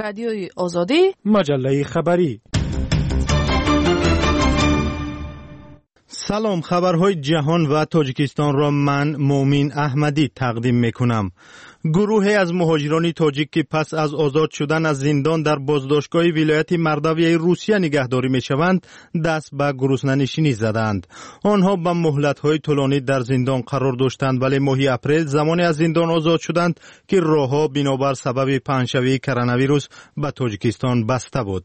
Радиои Озодӣ, маҷаллаи хабарӣ. Салом, хабарҳои ҷаҳон ва Тоҷикистонро ман Мӯъмин Аҳмадӣ тақдим мекунам. Гурӯҳе аз муҳоҷирони тоҷик, ки пас аз озод шудан аз зиндон дар боздоштгоҳи вилояти Мордовияи Русия нигаҳдорӣ мешаванд, даст ба гуруснанишинӣ задаанд. Онҳо ба муҳлатҳои тӯлонӣ дар зиндон қарор доштанд, вале моҳи апрел замоне аз зиндон озод шуданд, ки роҳҳо бинобар сабаби паҳншавии коронавирус ба Тоҷикистон баста буд.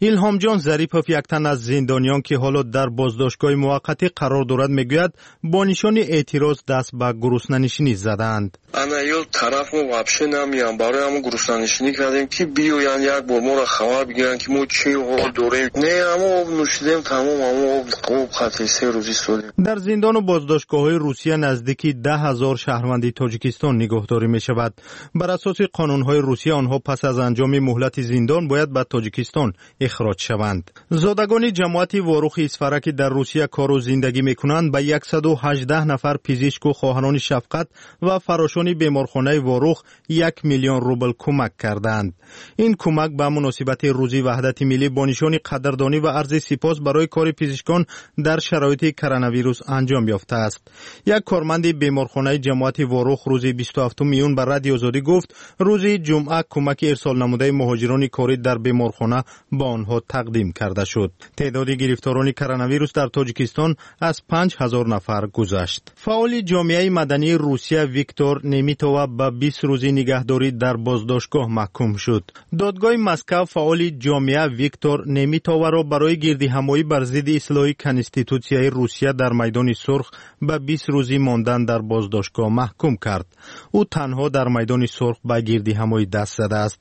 Илҳомҷон Зарипов, як тан аз зиндониён, ки ҳоло дар боздоштгоҳи муваққатӣ қарор дорад, мегӯяд бо нишони эътироз даст ба гуруснанишинӣ задаанд. Ана ё тараф мо вообще намеям, барои ҳамон гуруснанишинӣ кардем, ки биёянд як бор моро хабар бигиранд, ки мо чӣ ҳол дорем. Не, ҳамо об нӯшидем, тамом, ҳамо об хати 3 рӯз истодем. Дар зиндану боздоштгоҳҳои Русия наздики 10 000 шаҳрванди Тоҷикистон нигаҳдорӣ мешавад. Бар асоси қонунҳои Русия онҳо пас аз анҷоми муҳлати зиндон бояд ба Тоҷикистон ихроҷ шаванд. Зодагони ҷамоати Ворухи Исфара, ки дар Русия кору зиндагӣ мекунанд, ба 118 нафар пизишку хоҳарони шафқат ва фарошони беморхонаи Ворух 1 миллион рубл кӯмак кардаанд. Ин кӯмак ба муносибати Рӯзи Ваҳдати Миллӣ бо нишони қадрдонӣ ва арзи сипос барои кори пизишкон дар шароити коронавирус анҷом ёфтааст. Як корманди беморхонаи ҷамоати Ворух рӯзи 27 июн ба Радиои Озодӣ гуфт, рӯзи ҷумъа кӯмаки ирсол намудаи муҳоҷирони корӣ дар беморхона ба онҳо тақдим карда шуд. Теъдоди гирифторони коронавирус дар Тоҷикистон аз 5000 нафар гузашт. Фаъоли ҷомеаи мадании Русия Виктор Немитова ба 20 рӯзи нигаҳдорӣ дар боздоштгоҳ маҳкум шуд. Додгоҳи Москав фаъоли ҷомеа Виктор Немитоваро барои гирдиҳамоӣ бар зидди ислоҳи Конститутсияи Русия дар Майдони Сурх ба 20 рӯзи мондан дар боздоштгоҳ маҳкум кард. Ӯ танҳо дар Майдони Сурх ба гирдиҳамоӣ даст задааст.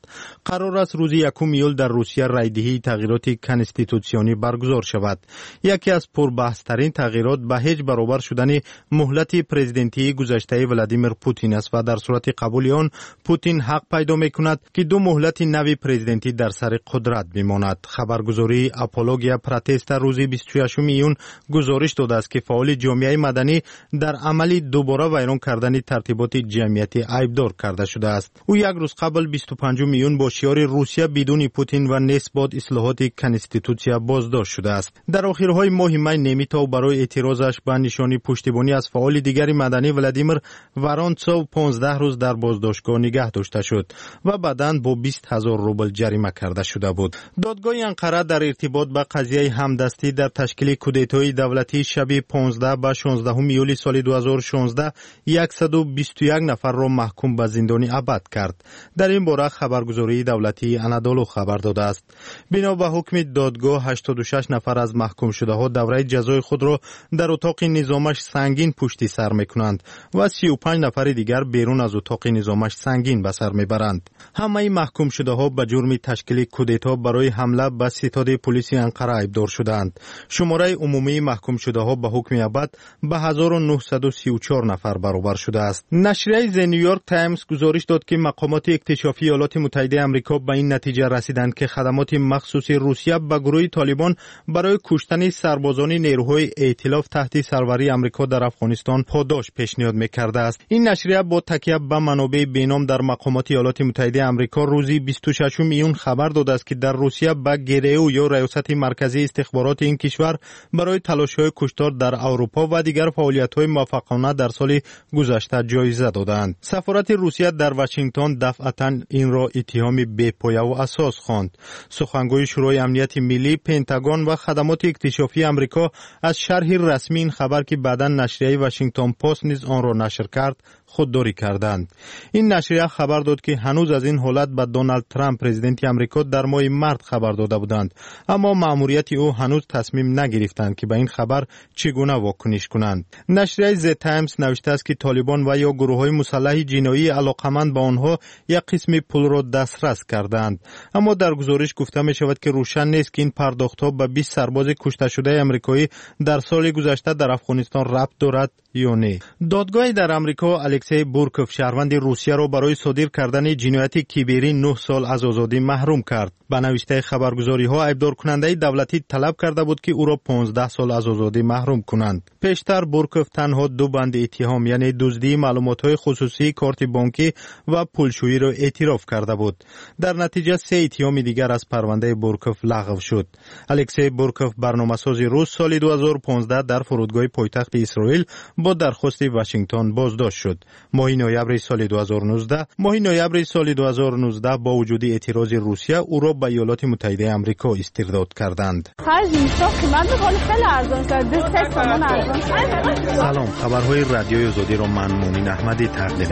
Қарор аст рӯзи 1 июл дар Русия райдиҳии тағйироти конститутсионӣ баргузор шавад. Яке аз пурбаҳстарин тағйирот ба ҳеҷ баробар шудани муҳлати президентии гузаштаи Владимир Путин аст ва дар сурати қабули он Путин ҳақ пайдо мекунад, ки ду муҳлати нави президентӣ дар сари қудрат бимонад. Хабаргузории Апология Протеста рӯзи 26 июн гузориш додааст, ки фаъоли ҷомеаи маданӣ дар амали дубора вайрон кардани тартиботи ҷамъиятӣ айбдор карда шудааст. Ӯ як рӯз қабл, 25 июн, бо шиори «Русия бидуни Путин» ва «Нест бод ислоҳоти Конститутсия» боздошт шудааст. Дар охирҳои моҳи май Немитов барои эътирозаш ба нишони пуштибонӣ аз фаъоли дигари маданӣ Владимир Воронцов 15 рӯз дар боздоштгоҳ нигаҳ дошта шуд ва баъдан бо 20 000 рубл ҷарима карда шуда буд. Додгоҳи Анқара дар иртибот ба қазияи ҳамдастӣ дар ташкили кудетои давлатии шаби 15 ба 16 июли соли 2016 121 нафарро маҳкум ба зиндони абад кард. Дар ин бора хабаргузории давлатии Анадолу хабар додааст. Бино ба ҳукми додгоҳ, 86 нафар аз маҳкумшудаҳо давраи ҷазои худро дар утоқи низомаш сангин пушти сар мекунанд ва 35 нафари дигар берун аз утоқи низомаш сангин ба сар мебаранд. Ҳамаи маҳкумшудаҳо ба ҷурми ташкили кудето барои ҳамла ба ситоди пулиси Анқара айбдор шудаанд. Шумораи умумии маҳкумшудаҳо ба ҳукми абад ба 1934 нафар баробар шудааст. Нашрияи The New York Times гузориш дод, ки мақомоти иктишофии Иёлоти Муттаҳидаи Амрико ба ин натиҷа расиданд, ки хадамоти махсуси Русия ба гурӯҳи Толибон барои куштани сарбозони нерӯҳои эътилоф таҳти сарварии Амрико дар Афғонистон подош пешниҳод мекардааст. Ин нашрия бо такя ба манобеи беном дар мақомоти Иёлоти Муттаҳидаи Амрико рӯзи 26 июн хабар додааст, ки дар Русия ба ГРУ ё Раёсати марказии истихбороти ин кишвар барои талошҳои куштор дар Аврупо ва дигар фаъолиятҳои муваффақона дар соли гузашта ҷоиза додаанд. Сафорати Русия дар Вашингтон дафъатан инро иттиҳоми бепояву асос хонд. Сухангӯи Шӯрои амнияти миллӣ, Пентагон ва хадамоти иктишофии Амрико аз шарҳи расмии ин хабар, ки баъдан нашрияи Вашингтон Пост низ онро нашр кард, худдорӣ карданд. Ин нашрия хабар дод, ки ҳанӯз аз ин ҳолат ба Доналд Трамп, президенти Амрико, дар моҳи март хабар дода буданд, аммо маъмурияти ӯ ҳанӯз тасмим нагирифтанд, ки ба ин хабар чӣ гуна вокуниш кунанд. Нашрияи The Times навиштааст, ки Толибон ва ё гурӯҳҳои мусаллаҳи ҷиноии алоқаманд ба онҳо як қисми пулро дастрас кардаанд. Аммо дар гузориш гуфта мешавад, ки рӯшан нест, ки ин пардохтҳо ба 20 сарбози кушташудаи амрикоӣ дар соли гузашта дар Афғонистон рабт дорад. Ё не. Додгоҳе дар Амрико Алексей Бурков, шаҳрванди Русияро, барои содир кардани ҷинояти киберӣ 9 сол аз озодӣ маҳрум кард. Ба навиштаи хабаргузориҳо, айбдоркунандаи давлатӣ талаб карда буд, ки ӯро 15 сол аз озодӣ маҳрум кунанд. Пештар Бурков танҳо ду банди иттиҳом, яъне дуздии маълумотҳои хусусии корти бонкӣ ва пулшӯиро эътироф карда буд. Дар натиҷа се иттиҳоми дигар аз парвандаи Бурков лағв шуд. Алексей Бурков, барномасози рус, соли 2015 дар фурудгоҳи пойтахти Исроил бо дархости Вашингтон боздошт шуд. Моҳи ноябри соли 2019, моҳи ноябри соли 2019, бо вуҷуди эътирози Русия, ӯро ба Иёлоти Муттаҳидаи Амрико истирдод карданд. Салом, хабарҳои Радиои Озодиро ман, Муъмин Аҳмадӣ, тақдим.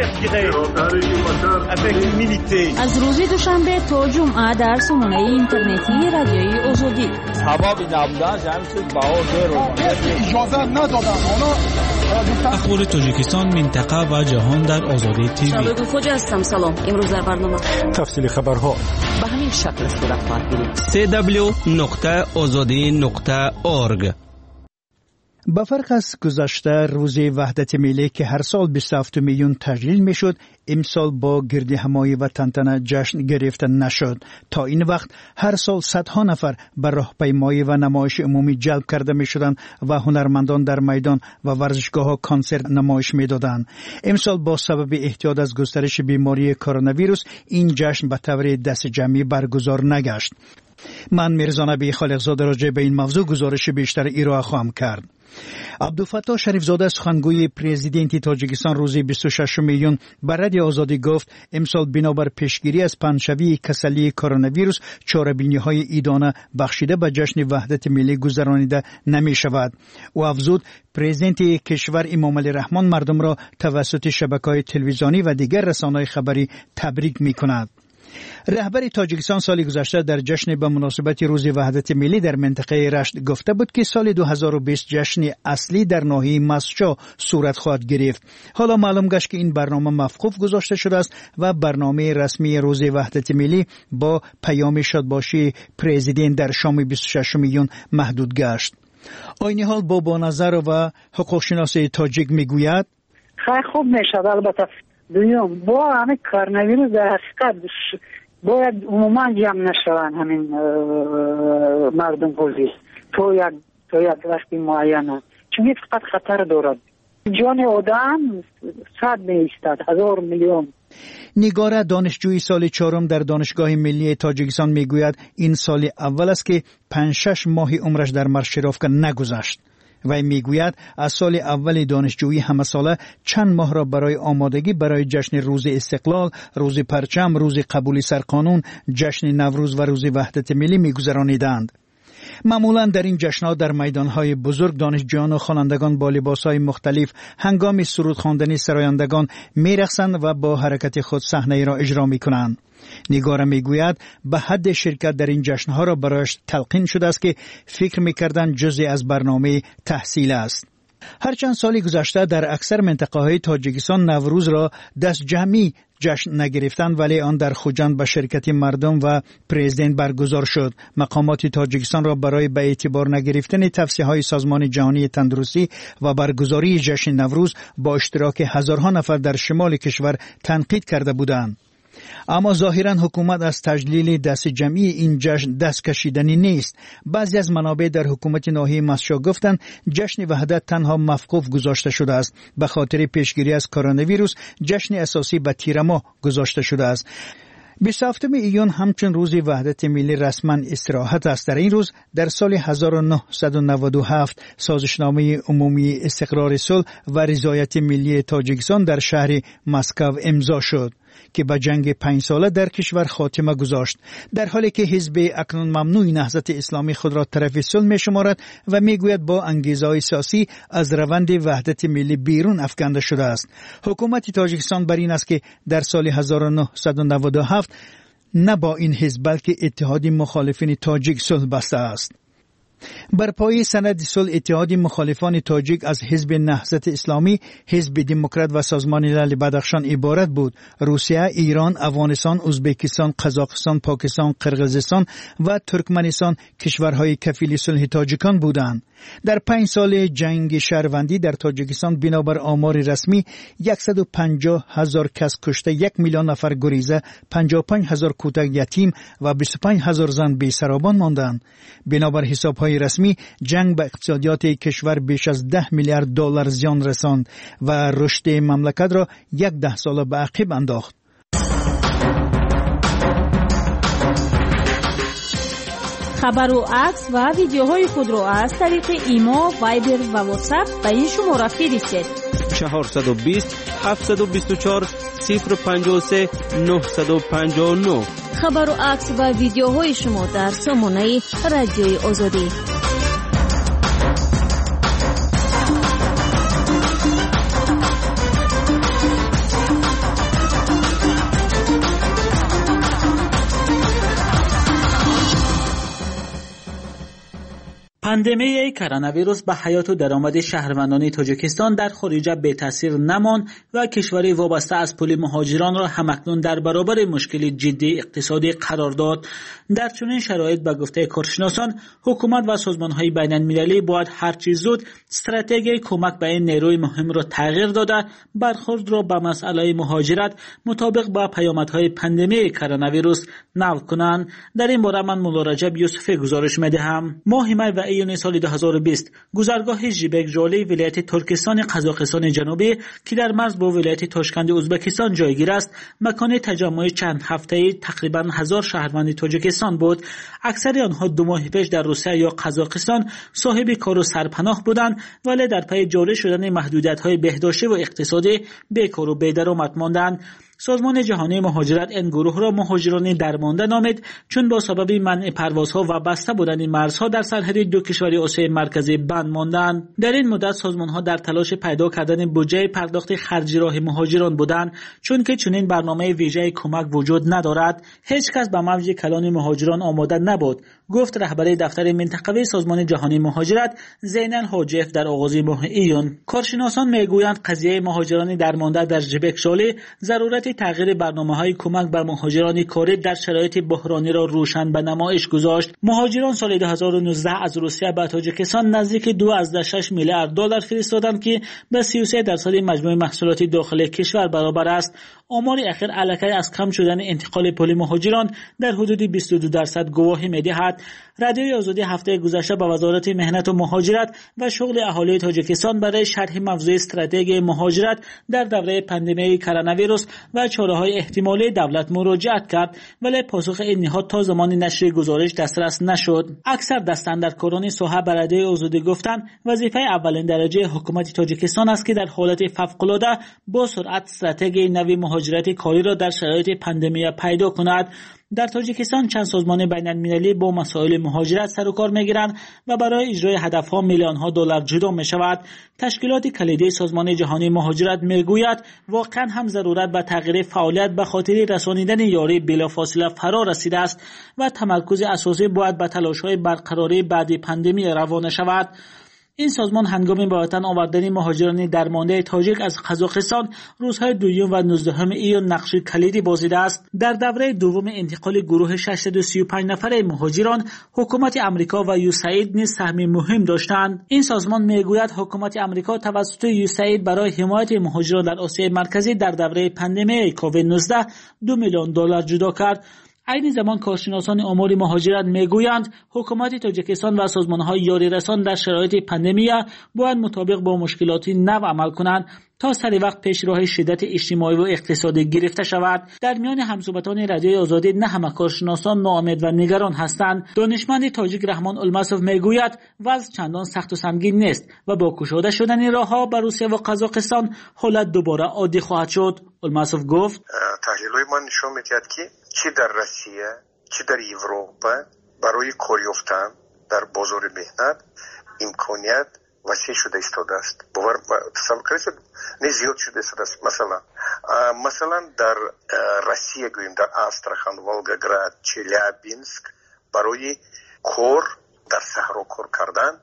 Аз рӯзи душанбе то ҷумъа дар сомонаи интернетии Радиои Озодӣ. Сабаби набуданаш ҳамин чиз баҳо. Иҷоза надоданд оно. Ахбори Тоҷикистон, минтақа ва ҷаҳон дар Озодӣ ТВ. Хоҷа ҳастам, салом. Имрӯз дар барнома тафсили хабарҳо. Ба ҳамин шакл сурат хоҳад гирифт. cw.ozodi.org. Ба фарқ аз гузашта, рӯзи ваҳдати миллӣ, ки ҳар сол 27 июн таҷлил мешуд, имсол бо гирдиҳамоӣ ва тантана ҷашн гирифта нашуд. То ин вақт ҳар сол садҳо нафар ба роҳпаймоӣ ва намоиши умумӣ ҷалб карда мешуданд ва ҳунармандон дар майдон ва варзишгоҳҳо консерт намоиш медоданд. Имсол бо сабаби эҳтиёт аз густариши бемории коронавирус ин ҷашн ба таври дастҷамъӣ баргузор нагашт. Ман Мирзонаби Холиқзода роҷеъ ба ин мавзӯъ гузориши бештар ироа хоҳам кард. Абдуфаттоҳ Шарифзода, сухангӯи президенти Тоҷикистон, рӯзи 26 июн ба Радио Озодӣ гуфт, имсол бинобар пешгирӣ аз паҳншавии касалии коронавирус чорабиниҳои идона бахшида ба ҷашни ваҳдати миллӣ гузаронида намешавад. Ӯ афзуд, президенти кишвар Эмомалӣ Раҳмон мардумро тавассути шабакаҳои телевизионӣ ва дигар расонаҳои хабарӣ табрик мекунад. Раҳбари Тоҷикистон соли гузашта дар ҷашни ба муносибати рӯзи ваҳдати миллӣ дар минтақаи Рашт гуфта буд, ки соли 2020 ҷашни аслӣ дар ноҳияи Мастчоҳ сурат хоҳад гирифт. Ҳоло маълум гашт, ки ин барнома мавқуф гузошта шудааст ва барномаи расмии рӯзи ваҳдати миллӣ бо паёми шодбошии президент дар шоми 26 июн маҳдуд гашт. Айни ҳол Бобоназарова, ҳуқуқшиноси тоҷик, мегӯяд: Хай, хуб мешавад, албатта. Дуюм, бо ҳамин коронавирус дар ҳақиқат бояд умуман ҷамъ нашаванд ҳамин мардум ҳозир то як вақти муайяна, чунки фақат хатар дорад. Ҷони одам сад меистад, ҳазор, миллион. Нигора, донишҷӯи соли чорум дар Донишгоҳи миллии Тоҷикистон, мегӯяд, ин соли аввал аст, ки 5-6 моҳи умраш дар маршировка нагузашт. Вай мегӯяд, аз соли аввали донишҷӯӣ ҳамасола чанд моҳро барои омодагӣ барои ҷашни Рӯзи Истиқлол, Рӯзи парчам, рӯзи қабули сарқонун, ҷашни Наврӯз ва Рӯзи ваҳдати миллӣ мегузарониданд. Маъмулан дар ин ҷашнҳо дар майдонҳои бузург донишҷӯёну хонандагон бо либосҳои мухталиф ҳангоми суруд хондани сарояндагон мерақсанд ва бо ҳаракати худ саҳнаеро иҷро мекунанд. Нигора мегӯяд, ба ҳадде ширкат дар ин ҷашнҳоро барояш талқин шудааст, ки фикр мекарданд, ҷузъе аз барномаи таҳсил аст. Ҳарчанд соли гузашта дар аксар минтақаҳои Тоҷикистон Наврӯзро дастҷамъӣ ҷашн нагирифтанд, вале он дар Хуҷанд ба ширкати мардум ва президент баргузор шуд. Мақомоти Тоҷикистонро барои ба эътибор нагирифтани тавсияҳои Созмони Ҷаҳонии Тандурустӣ ва баргузории ҷашни Наврӯз бо иштироки ҳазорҳо нафар дар шимоли кишвар танқид карда буданд. Аммо зоҳиран ҳукумат аз таҷлили дастҷамъии ин ҷашн даст кашиданӣ нест. Баъзе аз манобеъ дар ҳукумати ноҳияи Мастчоҳ гуфтанд, ҷашни ваҳдат танҳо мавқуф гузошта шудааст. Ба хотири пешгирӣ аз коронавирус ҷашни асосӣ ба тирамоҳ гузошта шудааст. 27 июн ҳамчун Рӯзи ваҳдати миллӣ расман истироҳат аст. Дар ин рӯз дар соли 1997 Созишномаи умумии истиқрори сулҳ ва ризояти миллии Тоҷикистон дар шаҳри Москав имзо шуд, ки ба ҷанги панҷсола дар кишвар хотима гузошт. Дар ҳоле ки ҳизби акнун мамнӯи Наҳзати Исломӣ худро тарафи сулҳ мешуморад ва мегӯяд, бо ангезаҳои сиёсӣ аз раванди ваҳдати миллӣ берун афканда шудааст, ҳукумати Тоҷикистон бар ин аст, ки дар соли 1997 на бо ин ҳизб, балки Иттиҳоди мухолифини тоҷик сулҳ бастааст. Бар пояи санади сулҳ, иттиҳоди мухолифони тоҷик аз Ҳизби Наҳзати Исломӣ, Ҳизби Демократ ва Созмони Лали Бадахшон иборат буд. Русия, Ирон, Афғонистон, Ӯзбекистон, Қазоқистон, Покистон, Қирғизистон ва Туркманистон кишварҳои кафили сулҳи тоҷикон буданд. Дар 5 соли ҷанги шаҳрвандӣ дар Тоҷикистон бинобар омори расмӣ 150 ҳазор кас кушта, 1 миллион нафар гуреза, 55 ҳазор кӯдак ятим ва 25 ҳазор зан бесаробон монданд. Бинобар ҳисобҳои расмӣ, ҷанг ба иқтисодиёти кишвар беш аз 10 миллиард доллар зиён расонд ва рушди мамлакатро як даҳсола ба ақиб андохт. Хабару акс ва видеоҳои худро аз тариқи Имо, Вайбер ва Ватсап ба ин шумора фиристед: 420 724 053 959. Хабару акс ва видеоҳои шумо дар сомонаи Радиои Озодӣ. Пандемияи коронавирус ба ҳаёту даромади шаҳрвандони Тоҷикистон дар хориҷа бетаъсир намонд ва кишвари вобаста аз пули муҳоҷиронро ҳамакнун дар баробари мушкили ҷиддии иқтисодӣ қарор дод. Дар чунин шароит, ба гуфтаи коршиносон, ҳукумат ва созмонҳои байналмилалӣ бояд ҳарчи зуд стратегияи кӯмак ба ин нерӯи муҳимро тағйир дода, бархӯрдро ба масъалаи муҳоҷират мутобиқ ба паёмадҳои пандемияи коронавирус нав кунанд. Дар ин бора ман Мулло Раҷаб Юсуфӣ гузориш медиҳам. Моҳи май ва июни соли 2020 гузаргоҳи Жибек-Жоли вилояти Туркистони Қазоқистони Ҷанубӣ, ки дар марз бо вилояти Тошканди Ӯзбекистон ҷойгир аст, макони таҷаммуи чанд ҳафтаи тақрибан 1000 шаҳрванди Тоҷикистон буд. Аксари онҳо 2 моҳи пеш дар Русия ё Қазоқистон соҳиби кору сарпаноҳ буданд, вале дар пайи ҷорӣ шудани маҳдудиятҳои беҳдоштӣ ва иқтисодӣ бекору бедаромад монданд. Созмони ҷаҳонии муҳоҷират ин гурӯҳро муҳоҷирони дармонда номид, чун бо сабаби манъи парвозҳо ва баста будани марзҳо дар сарҳади ду кишвари Осиёи Марказӣ банд монданд. Дар ин муддат созмонҳо дар талоши пайдо кардани буҷаи пардохти харҷи роҳи муҳоҷирон буданд, чунки чунин барномаи вижаи кӯмак вуҷуд надорад. Ҳеҷ кас ба мавҷи калони муҳоҷирон омода набуд, гуфт раҳбари дафтари минтақавии Созмони ҷаҳонии муҳоҷират Зейнал Ҳоҷиев дар оғози моҳи июн. Коршиносон мегӯянд, қазияи муҳоҷирони дармонда дар Жибек-Жоли зарурати тағйири барномаҳои кӯмак ба муҳоҷирони корӣ дар шароити буҳрониро рӯшан ба намоиш гузошт. Муҳоҷирон соли 2019 аз Русия ба Тоҷикистон наздики 2,6 миллиард доллар фиристоданд, ки ба 33% маҷмӯи маҳсулоти дохилии кишвар баробар аст. Омори ахир аллакай аз кам шудани интиқоли пули муҳоҷирон дар ҳудуди 22% гувоҳӣ медиҳад. Радиои Озодӣ ҳафтаи гузашта ба Вазорати меҳнату муҳоҷират ва шуғли аҳолии Тоҷикистон барои шарҳи мавзӯи стратегияи муҳоҷират дар давраи пандемияи коронавирус ва чораҳои эҳтимолии давлат муроҷиат кард, вале посухи ин ниҳод то замони нашри гузориш дастрас нашуд. Аксар дастандаркорони соҳа ба Радиои Озодӣ гуфтанд, вазифаи аввалин дараҷаи ҳукумати Тоҷикистон аст, ки дар ҳолати фавқулода бо суръат стратегияи нави муҳоҷирати кориро дар шароити пандемия пайдо кунад. Дар Тоҷикистон чанд созмони байналмилалӣ бо масоили муҳоҷират сару кор мегиранд ва барои иҷрои ҳадафҳо миллионҳо доллар ҷудо мешавад. Ташкилоти калидии Созмони ҷаҳонии муҳоҷират мегӯяд, воқеан ҳам зарурат ба тағйири фаъолият ба хотири расонидани ёрӣ билофосила фаро расидааст ва тамаркузи асосӣ бояд ба талошҳои барқарории баъди пандемия равона шавад. Ин созмон ҳангоми ба ватан овардани муҳоҷирони дармондаи тоҷик аз Қазоқистон рӯзҳои 2 ва 19 июн нақши калидӣ бозидааст. Дар давраи дуввуми интиқоли гурӯҳи 635 нафараи муҳоҷирон, ҳукумати Амрико ва ЮСАИД низ саҳми муҳим доштанд. Ин созмон мегӯяд, ҳукумати Амрико тавассути ЮСАИД барои ҳимояти муҳоҷирон дар Осиёи Марказӣ дар давраи пандемияи COVID-19 $2 миллион ҷудо кард. Айни замон коршиносони умури муҳоҷират мегӯянд, ҳукумати Тоҷикистон ва созмонҳои ёрирасон дар шароити пандемия бояд мутобиқ бо мушкилоти нав амал кунанд, то сари вақт пеш роҳи шиддати иҷтимоӣ ва иқтисодӣ гирифта шавад. Дар миёни ҳамсӯҳбатони Радиои Озодӣ на ҳама коршиносон ноумед ва нигарон ҳастанд. Донишманди тоҷик Раҳмон Улмасов мегӯяд, вазъ чандон сахту сангин нест ва бо кушода шудани роҳҳо ба Русия ва Қазоқистон ҳолат дубора оддӣ хоҳад шуд. Улмасов гуфт: таҳлилҳои ман нишон медиҳад, ки чӣ дар Россия, чӣ дар Европа барои кор ёфтан дар бозори меҳнат имконият васеъ шуда истодааст. Бовар тасаввур кардед, не зиёд шуда истодааст. Масалан дар Россия гӯем, дар Астрахан, Волгоград, Челябинск барои кор Дар саҳро кор кардан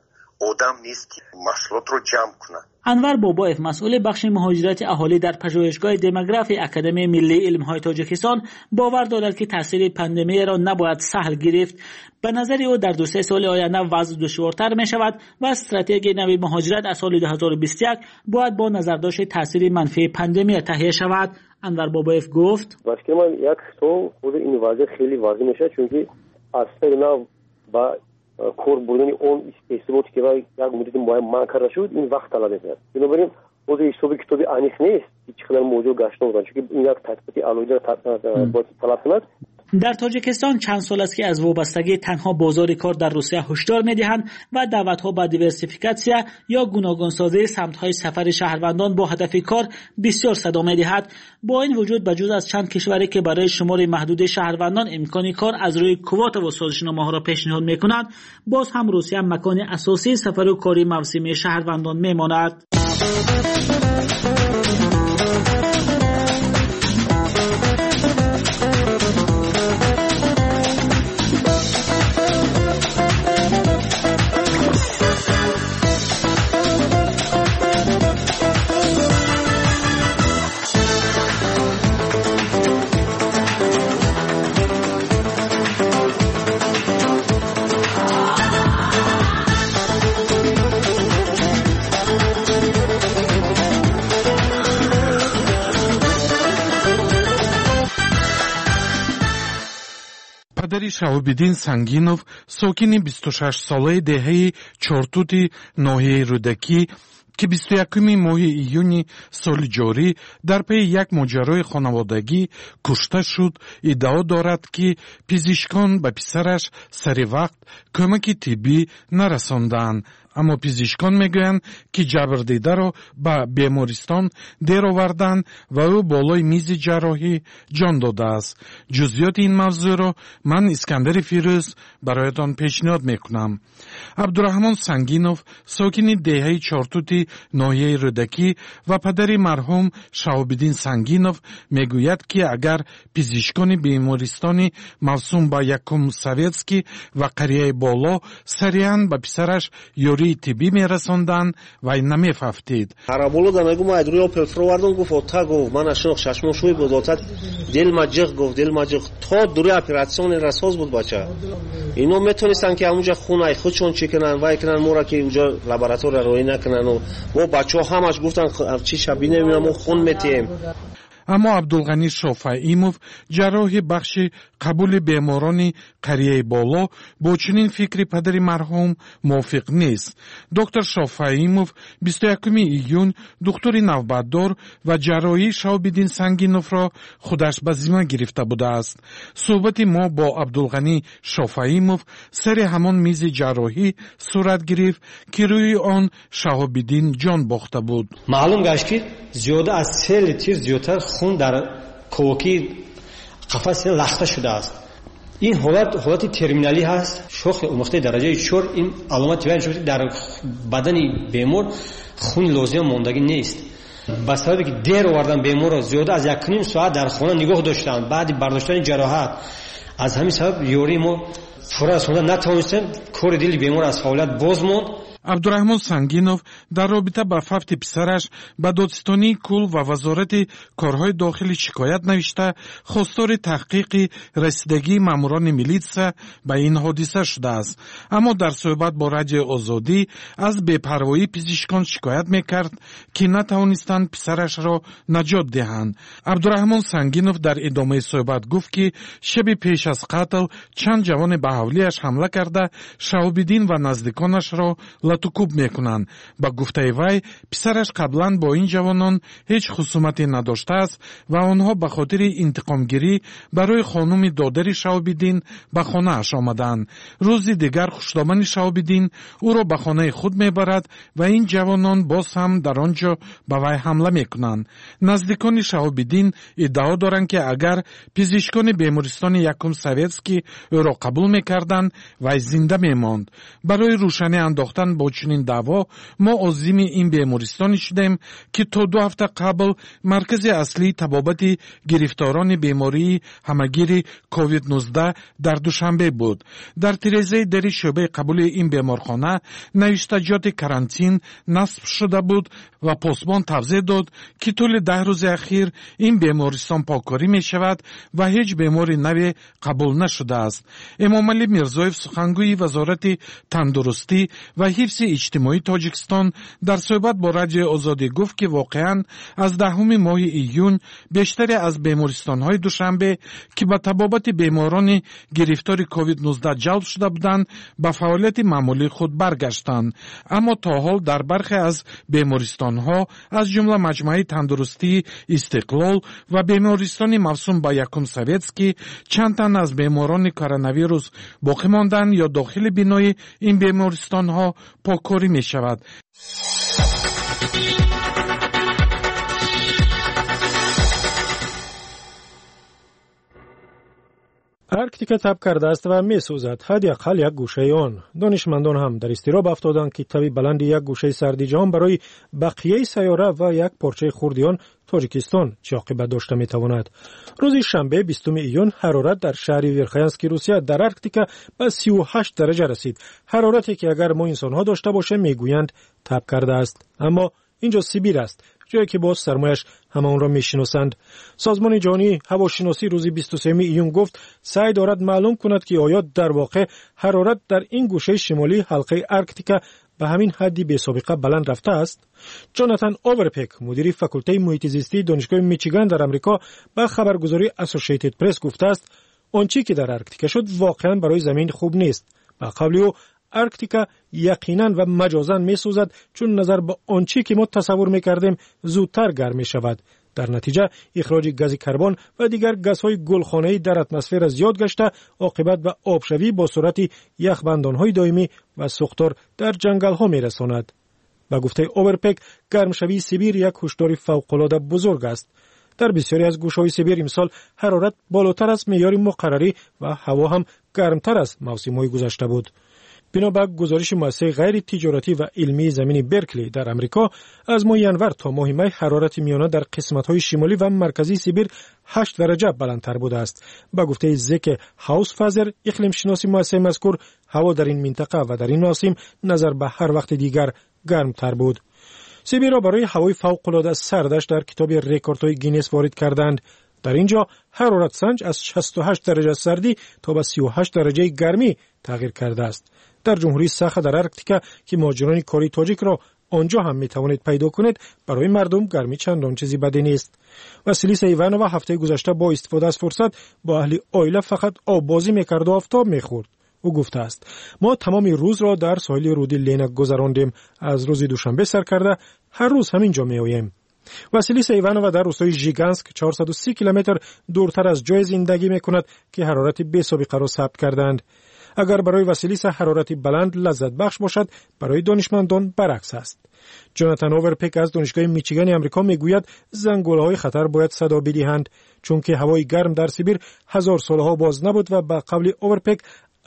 одам нест, ки маҳсулотро ҷамъ кунад. Анвар Бобоев, масъули бахши муҳоҷирати аҳолӣ дар пажӯҳишгоҳи демографии Академияи миллии илмҳои Тоҷикистон, бовар дорад, ки таъсири пандемияро набояд саҳл гирифт. Ба назари ӯ, дар 2-3 соли оянда вазъ душвортар мешавад ва стратегияи нави муҳоҷират аз соли 2021 бояд бо назардошти таъсири манфии пандемия таҳия шавад. Анвар Бобоев гуфт: ба фикри ман, як сол худи ин вазъият хеле вазин мешавад, чунки аз сари нав ба кор бурдани он истеҳсолоте, ки як муддати муайян манъ карда шуд, ин вақт талаб мекунад. Бинобар ин ҳозир ҳисоби китоби аниқ нест, ки чӣ қадар муҳоҷир гашта омаданд, чунки ин як тадқиқоти алоҳида бояд талаб кунад. Дар Тоҷикистон чанд сол аст, ки аз вобастагии танҳо бозори кор дар Русия ҳушдор медиҳанд ва даъватҳо ба диверсификатсия ё гуногунсозии самтҳои сафари шаҳрвандон бо ҳадафи кор бисёр садо медиҳад. Бо ин вуҷуд, ба ҷуз аз чанд кишваре, ки барои шумори маҳдуди шаҳрвандон имкони кор аз рӯи квотаву созишномаҳоро пешниҳод мекунанд, боз ҳам Русия макони асосии сафару кори мавсимии шаҳрвандон мемонад. Падари Шаҳобиддин Сангинов, сокини 26-солаи деҳаи Чортути ноҳияи Рӯдакӣ, ки 21-уми моҳи июни соли ҷорӣ дар пайи як моҷарои хонаводагӣ кушта шуд, иддао дорад, ки пизишкон ба писараш сари вақт кӯмаки тиббӣ нарасондаанд. Аммо пизишкон мегӯянд, ки ҷабрдидаро ба бемористон дер оварданд ва ӯ болои мизи ҷарроҳӣ ҷон додааст. Ҷузъиёти ин мавзӯъро ман, Искандари Фирӯз, бароятон пешниҳод мекунам. Абдураҳмон Сангинов, сокини деҳаи Чортути ноҳияи Рӯдакӣ ва падари марҳум Шаҳобиддин Сангинов, мегӯяд, ки агар пизишкони бемористони мавсум ба Якум Советский ва қарияи Боло сариан ба писараш ёрии тиббӣ мерасонданд, вай намефавтид. Ҳараболода мегу, ма айдруи опел фуровардум, гуфт, ота, гуфт, ман ашинох шашмон шӯй буд, ота, дилма ҷиғ, гуфт, дилма ҷиғ, то дури операционе расоз буд бача. Ино метонистанд, ки ҳамунҷа хун ай худшон чӣ кунанд, вай кунанд, моро ки уҷа лаборатория роҳӣ накунанд. Мо бачаҳо ҳамаш гуфтанд, чи шабинем, мо хун метиҳем. Аммо Абдулғанӣ Шофаимов, ҷарроҳи бахши қабули беморони қарияи Боло, бо чунин фикри падари марҳум мувофиқ нест. Доктор Шофаимов 21 июн духтури навбатдор ва ҷарроҳии Шаҳобиддин Сангиновро худаш ба зимма гирифта будааст. Суҳбати мо бо Абдулғанӣ Шофаимов сари ҳамон мизи ҷарроҳӣ сурат гирифт, ки рӯи он Шаҳобиддин ҷон бохта буд. Маълум гашт, ки зиёда аз 3 литр зиёдтар хун дар ковокии қафаси сина лахта шудааст. Ин ҳолат ҳолати терминалӣ ҳаст, шохи омӯхтаи дараҷаи 4. Ин аломати баён шуд, дар бадани бемор хуни лозима мондагӣ нест. Ба сабабе ки дер овардан беморро, зиёда аз 1,5 соат дар хона нигоҳ доштанд баъди бардоштани ҷароҳат, аз ҳамин сабаб ёрии мо пурра расонда натавонистем. Кори дили бемор аз фаъолият боз монд. Абдураҳмон Сангинов дар робита ба фавти писараш ба додситонии кулл ва Вазорати корҳои дохилӣ шикоят навишта, хостори таҳқиқи расидагии маъмурони милитсия ба ин ҳодиса шудааст. Аммо дар суҳбат бо Радиои Озодӣ аз бепарвоии пизишкон шикоят мекард, ки натавонистанд писарашро наҷот диҳанд. Абдураҳмон Сангинов дар идомаи суҳбат гуфт, ки шаби пеш аз қатл чанд ҷавоне ба ҳавлиаш ҳамла карда, Шаҳобиддин ва наздиконашро латукӯб мекунанд. Ба гуфтаи вай, писараш қаблан бо ин ҷавонон ҳеҷ хусумате надоштааст ва онҳо ба хотири интиқомгирӣ барои хонуми додари Шаҳобиддин ба хонааш омаданд. Рӯзи дигар хушдомани Шаҳобиддин ӯро ба хонаи худ мебарад ва ин ҷавонон боз ҳам дар он ҷо ба вай ҳамла мекунанд. Наздикони Шаҳобиддин иддао доранд, ки агар пизишкони бемористони Якум Советский ӯро қабул мекарданд, вай зинда мемонд. Барои рӯшанӣ андохтан бо Бо чунин даъво мо озими ин бемористоне шудем, ки то 2 ҳафта қабл маркази аслии табобати гирифторони бемории ҳамагири COVID-19 дар Душанбе буд. Дар тирезаи дари шӯъбаи қабули ин беморхона навиштаҷоти карантин насб шуда буд ва посбон тавзеҳ дод, ки тӯли 10 рӯзи ахир ин бемористон поккорӣ мешавад ва ҳеҷ бемори наве қабул нашудааст. Эмомалӣ Мирзоев, сухангӯи Вазорати тандурустӣ ва ҳифзи иҷтимоии Тоҷикистон, дар суҳбат бо Радиои Озодӣ гуфт, ки воқеан аз 10-уми моҳи июн бештаре аз бемористонҳои Душанбе, ки ба табобати беморони гирифтори COVID-19 ҷалб шуда буданд, ба фаъолияти маъмулии худ баргаштанд. Аммо то ҳол дар бархе аз бемористонҳо, аз ҷумла маҷмӯаи тандурустии Истиқлол ва бемористони мавсум ба Якум Советский, чанд тан аз беморони коронавирус боқӣ монданд ё дохили бинои ин бемористонҳо поккорӣ мешавад. Арктика таб кардааст ва месӯзад, ҳадди ақал як гӯшаи он. Донишмандон ҳам дар изтироб афтоданд, ки таби баланди як гӯшаи сарди ҷаҳон барои бақияи сайёра ва як порчаи хурди он, Тоҷикистон, чӣ оқибат дошта метавонад. Рӯзи шанбе, 20 июн, ҳарорат дар шаҳри Верхоянски Русия дар Арктика ба 38 дараҷа расид. Ҳарорате ки агар мо инсонҳо дошта бошем, мегӯянд таб кардааст. Аммо инҷо Сибир аст, ҷое ки боз сармояш ҳама онро мешиносанд. Созмони ҷаҳонии ҳавошиносӣ рӯзи 23 июн гуфт, саъй дорад маълум кунад, ки оё дар воқеъ ҳарорат дар ин гӯшаи шимолии ҳалқаи Арктика ба ҳамин ҳадди бесобиқа баланд рафтааст. Ҷонатан Оверпек, мудири факултаи муҳити зистии Донишгоҳи Мичиган дар Амрико, ба хабаргузории Associated Press гуфтааст, он чӣ ки дар Арктика шуд, воқеан барои замин хуб нест. Ба қавли ӯ, Арктика яқинан ва маҷозан месӯзад, чун назар ба он чӣ ки мо тасаввур мекардем, зудтар гарм мешавад. Дар натиҷа ихроҷи гази карбон ва дигар газҳои гулхонаӣ дар атмосфера зиёд гашта, оқибат ба обшавӣ бо суръати яхбандонҳои доимӣ ва сӯхтор дар ҷангалҳо мерасонад. Ба гуфтаи Оверпек, гармшавии Сибир як ҳушдори фавқулода бузург аст. Дар бисёре аз гӯшаҳои Сибир имсол ҳарорат болотар аз меъёри муқаррарӣ ва ҳаво ҳам гармтар аз мавсимҳои гузашта буд. Бино ба гузориши муассисаи ғайритиҷоратӣ ва илмии замини Беркли дар Амрико, аз моҳи январ то моҳи май ҳарорати миёна дар қисматҳои шимолӣ ва марказии Сибир 8 дараҷа баландтар будааст. Ба гуфтаи Зеке Ҳаусфазер, иқлимшиноси муассисаи мазкур, ҳаво дар ин минтақа ва дар ин мавсим назар ба ҳар вақти дигар гармтар буд. Сибирро барои ҳавои фавқулода сардаш дар китоби рекордҳои Гиннес ворид карданд. Дар ин ҷо ҳароратсанҷ аз 68 дараҷа сардӣ то ба 38 дараҷаи гармӣ тағйир кардааст. Дар ҷумҳурии Саха дар Арктика, ки муҳоҷирони кории тоҷикро он ҷо ҳам метавонед пайдо кунед, барои мардум гармӣ чандон чизи баде нест. Василиса Иванова ҳафтаи гузашта бо истифода аз фурсат бо аҳли оила фақат оббозӣ мекарду офтоб мехӯрд. Ӯ гуфтааст, мо тамоми рӯзро дар соҳили руди Лена гузарондем. Аз рӯзи душанбе сар карда ҳар рӯз ҳамин ҷо меоем. Василиса Иванова дар рӯстои Жиганск 430 километр дуртар аз ҷое зиндагӣ мекунад, ки ҳарорати бесобиқаро сабт карданд. Агар барои Василиса ҳарорати баланд лаззатбахш бошад, барои донишмандон баръакс аст. Ҷонатан Оверпек аз Донишгоҳи Мичигани Амрико мегӯяд, зангулаҳои хатар бояд садо бидиҳанд, чунки ҳавои гарм дар Сибир ҳазор солҳо боз набуд ва ба қавли Оверпек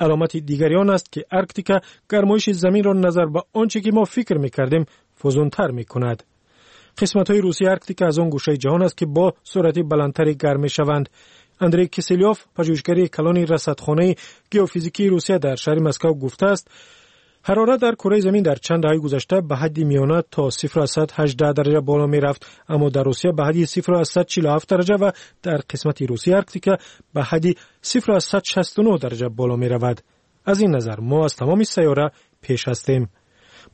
аломати дигари он аст, ки Арктика гармоиши заминро назар ба он чӣ ки мо фикр мекардем фузунтар мекунад. Қисматҳои русии Арктика аз он гӯшаи ҷаҳон аст, ки бо суръати баландтаре гарм мешаванд. Андрей Киселёв, пажӯҳишгари калони расадхонаи геофизикии Русия дар шаҳри Москав, гуфтааст, ҳарорат дар кураи замин дар чанд даҳаи гузашта ба ҳадди миёна то 0,18 дараҷа боло мерафт, аммо дар Русия ба ҳадди 0,47 дараҷа ва дар қисмати русии Арктика ба ҳадди 0,69 дараҷа боло меравад. Аз ин назар мо аз тамоми сайёра пеш ҳастем.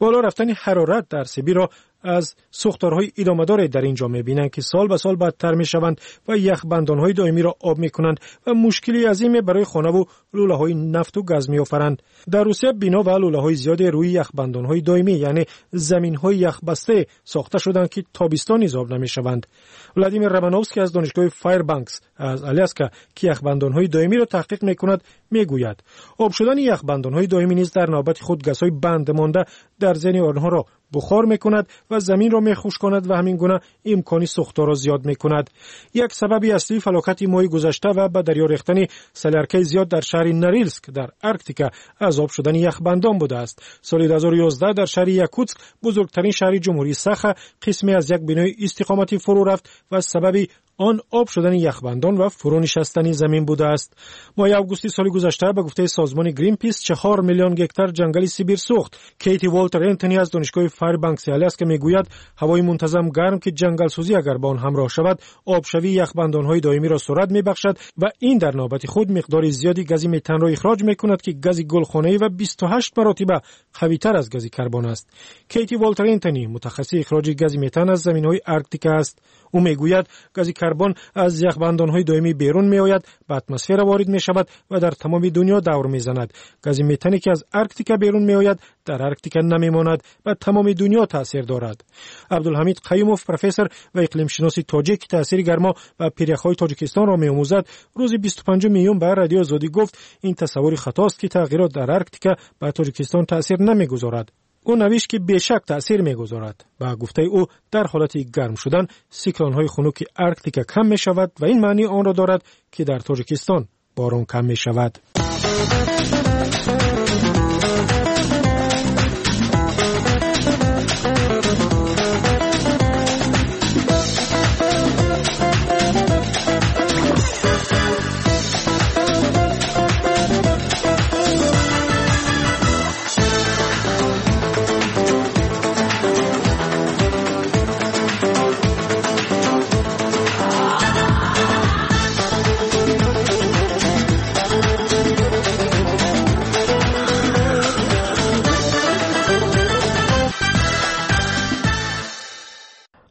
Боло рафтани ҳарорат дар Сибирро аз сӯхторҳои идомадоре дар ин ҷо мебинанд, ки сол ба сол бадтар мешаванд ва яхбандонҳои доимиро об мекунанд ва мушкили азиме барои хонаву лӯлаҳои нафту газ меофаранд. Дар Русия бино ва лӯлаҳои зиёде рӯи яхбандонҳои доимӣ, яъне заминҳои яхбастае сохта шуданд, ки тобистон низ об намешаванд. Владимир Романовский аз Донишгоҳи Файрбанкс аз Аляска, ки яхбандонҳои доимиро таҳқиқ мекунад, мегӯяд, об шудани яхбандонҳои доимӣ низ дар навбати худ газҳои банд монда дар зери онҳоро бухор мекунад ва заминро мехушконад ва ҳамин гуна имкони сӯхторро зиёд мекунад. Як сабаби аслии фалокати моҳи гузашта ва ба дарё рехтани соляркаи зиёд дар шаҳри Норилск дар Арктика аз об шудани яхбандон будааст. Соли 2011 дар шаҳри Якутск, бузургтарин шаҳри ҷумҳурии Саха, қисме аз як бинои истиқоматӣ фурӯ рафт ва сабаби он об шудани яхбандон ва фурӯ нишастани замин будааст. Моҳи августи соли гузашта ба гуфтаи созмони Гринпис 4 миллион гектар ҷангали Сибир сӯхт. Кейти Волтер Энтони аз донишгоҳи Файрбанкси Аляска мегӯяд, ҳавои мунтазам гарм, ки ҷангалсӯзӣ агар ба он ҳамроҳ шавад, обшавии яхбандонҳои доимиро суръат мебахшад ва ин дар навбати худ миқдори зиёди гази метанро ихроҷ мекунад, ки гази гулхонаӣ ва 28 маротиба қавитар аз гази карбон аст. Кейти Волтер Энтони мутахассиси ихроҷи гази метан аз заминҳои Арктика аст. Ӯ мегӯяд, гази карбон аз яхбандонҳои доимӣ берун меояд, ба атмосфера ворид мешавад ва дар тамоми дунё давр мезанад. Гази метане, ки аз Арктика берун меояд, дар Арктика намемонад, ба тамоми дунё таъсир дорад. Абдулҳамид Қаюмов, профессор ва иқлимшиноси тоҷик, ки таъсири гармо ба пиряхҳои Тоҷикистонро меомӯзад, рӯзи 25 июн ба Радиои Озодӣ гуфт, ин тасаввури хатост, ки тағйирот дар Арктика ба Тоҷикистон таъсир намегузорад. Ӯ навишт, ки бешак таъсир мегузорад. Ба гуфтаи ӯ, дар ҳолати гарм шудан сиклонҳои хунуки Арктика кам мешавад ва ин маънии онро дорад, ки дар Тоҷикистон борон кам мешавад.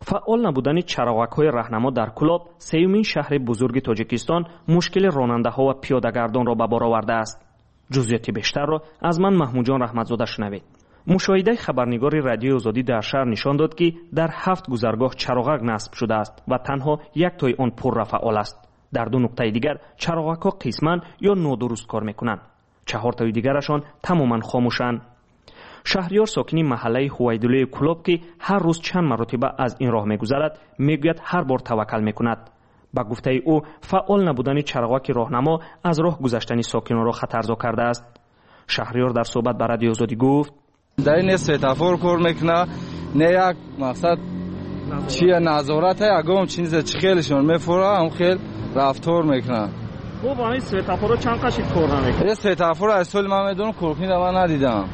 Фаъол набудани чароғакҳои раҳнамо дар Кӯлоб, сеюмин шаҳри бузурги Тоҷикистон, мушкили ронандаҳо ва пиёдагардонро ба бор овардааст. Ҷузъиёти бештарро аз ман Маҳмудҷон Раҳматзода шунавед. Мушоҳидаи хабарнигори Радиои Озодӣ дар шаҳр нишон дод, ки дар 7 гузаргоҳ чароғак насб шудааст ва танҳо як тои он пурра фаъол аст. Дар 2 нуқтаи дигар чароғакҳо қисман ё нодуруст кор мекунанд. 4 тои дигарашон тамоман хомӯшанд. Шаҳриёр, сокини маҳаллаи Ҳувайдуллои Кӯлоб, ки ҳар рӯз чанд маротиба аз ин роҳ мегузарад, мегӯяд ҳар бор таваккал мекунад. Ба гуфтаи ӯ, фаъол набудани чароғаки роҳнамо аз роҳ гузаштани сокинонро хатарзо кардааст. Шаҳриёр дар суҳбат ба Радиои Озодӣ гуфт: дар ин светофор кор мекунад, не як мақсад чия назорат, ягон чизе чӣ хелшон мефура, ҳам хел рафтор мекунад. Хуб, ҳамин светофорро чанд қашид кор намекунад? Ин светофор аз соли ман медонам, коркунӣ ман надидам.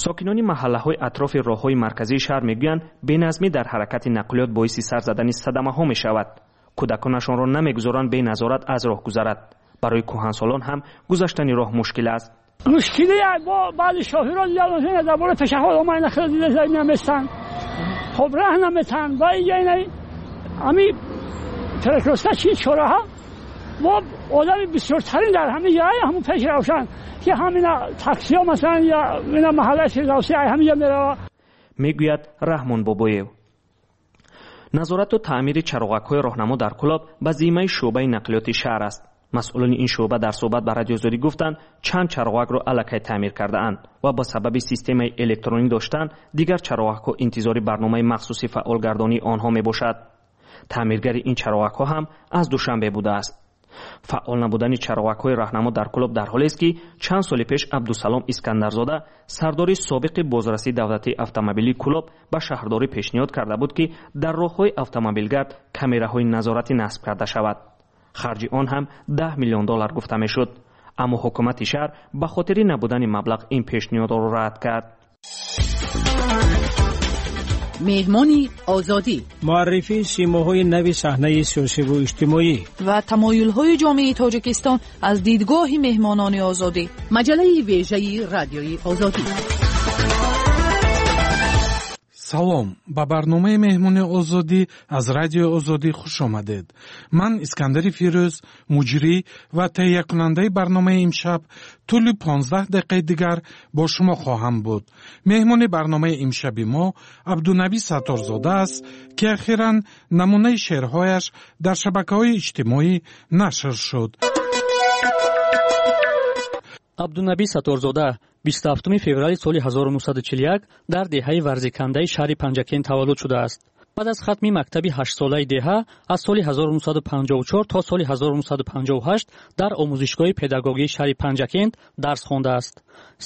Сокинони маҳаллаҳои атрофи роҳҳои марказии шаҳр мегӯянд, беназмӣ дар ҳаракати нақлиёт боиси сар задани садамаҳо мешавад. Кӯдаконашонро намегузоранд беназорат аз роҳ гузарад. Барои кӯҳансолон ҳам гузаштани роҳ мушкил аст. Мушкиле бо баъзи шофирон дида дар бораи пешаход омада хеле дида наместанд, хоб раҳ наметанд ва инҷа ҳами перекрёстка чи чораҳа бо одами бисёртарин дар ҳамин ҷай ҳамун пеш равшан ки ҳамина таксиҳо масалан я ина маҳаллаи Фирдавсӣ ҳаминҷа мерава, мегӯяд Раҳмон Бобоев. Назорату таъмири чароғакҳои роҳнамо дар Кӯлоб ба зиммаи шӯъбаи нақлиёти шаҳр аст. Масъулони ин шӯъба дар суҳбат ба Радиои Озодӣ гуфтанд, чанд чароғакро аллакай таъмир кардаанд ва ба сабаби системаи электронӣ доштан дигар чароғакҳо интизори барномаи махсуси фаъолгардонии онҳо мебошад. Таъмиргари ин чароғакҳо ҳам аз Душанбе будааст. Фаъол набудани чароғакҳои раҳнамо дар Кӯлоб дар ҳолест, ки чанд соли пеш Абдусалом Искандарзода, сардори собиқи бозрасии давлатии автомобилии Кӯлоб, ба шаҳрдорӣ пешниҳод карда буд, ки дар роҳҳои автомобилгард камераҳои назоратӣ насб карда шавад. Харҷи он ҳам 10 миллион доллар гуфта мешуд. Аммо ҳукумати шаҳр ба хотири набудани маблағ ин пешниҳодро рад кард. Меҳмони Озодӣ, муаррифии симоҳои нави саҳнаи сиёсиву иҷтимоӣ ва тамоюлҳои ҷомеаи Тоҷикистон аз дидгоҳи меҳмонони Озодӣ. Маҷаллаи вежаи Радиои Озодӣ. Салом, ба барномаи меҳмони Озодӣ аз Радиои Озодӣ хуш омадед. Ман Искандари Фирӯз, муҷрӣ ва таҳиякунандаи барномаи имшаб, тӯли 15 дақиқаи дигар бо шумо хоҳам буд. Меҳмони барномаи имшаби мо Абдунаби Сатторзода аст, ки ахиран намунаи шеърҳояш дар шабакаҳои иҷтимоӣ нашр шуд. Абдунаби Сатторзода 27 феврали соли 1941 дар деҳаи Варзикандаи шаҳри Панҷакент таваллуд шудааст. Баъд аз хатми мактаби ҳаштсолаи деҳа аз соли 1954 то соли 1958 дар омӯзишгоҳи педагогии шаҳри Панҷакент дарс хондааст.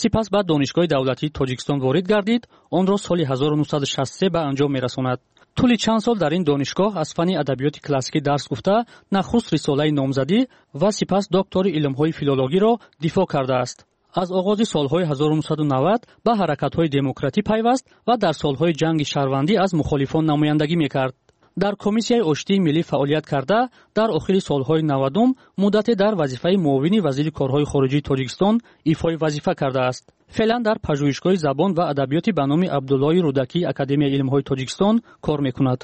Сипас ба Донишгоҳи давлатии Тоҷикистон ворид гардид, онро соли 1963 ба анҷом мерасонад. Тӯли чанд сол дар ин донишгоҳ аз фанни адабиёти классикӣ дарс гуфта, нахуст рисолаи номзадӣ ва сипас доктори илмҳои филологиро дифоъ кардааст. Аз оғози солҳои 1990 ба ҳаракатҳои демократӣ пайваст ва дар солҳои ҷанги шаҳрвандӣ аз мухолифон намояндагӣ мекард. Дар Комиссияи оштии миллӣ фаъолият карда, дар охири солҳои 90-ум муддате дар вазифаи муовини вазири корҳои хориҷии Тоҷикистон ифои вазифа кардааст. Феълан дар Пажӯҳишгоҳи забон ва адабиёти ба номи Абдуллои Рӯдакии Академияи илмҳои Тоҷикистон кор мекунад.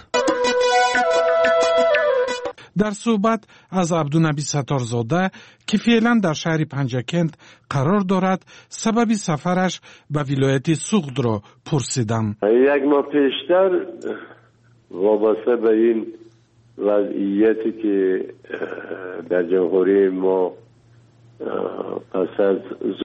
Дар суҳбат аз Абдунаби Сатторзода, ки феълан дар шаҳри Панҷакент қарор дорад, сабаби сафараш ба вилояти Суғдро пурсидам. Як моҳ пештар вобаста ба ин вазъияте ки дар ҷумҳурии мо пас аз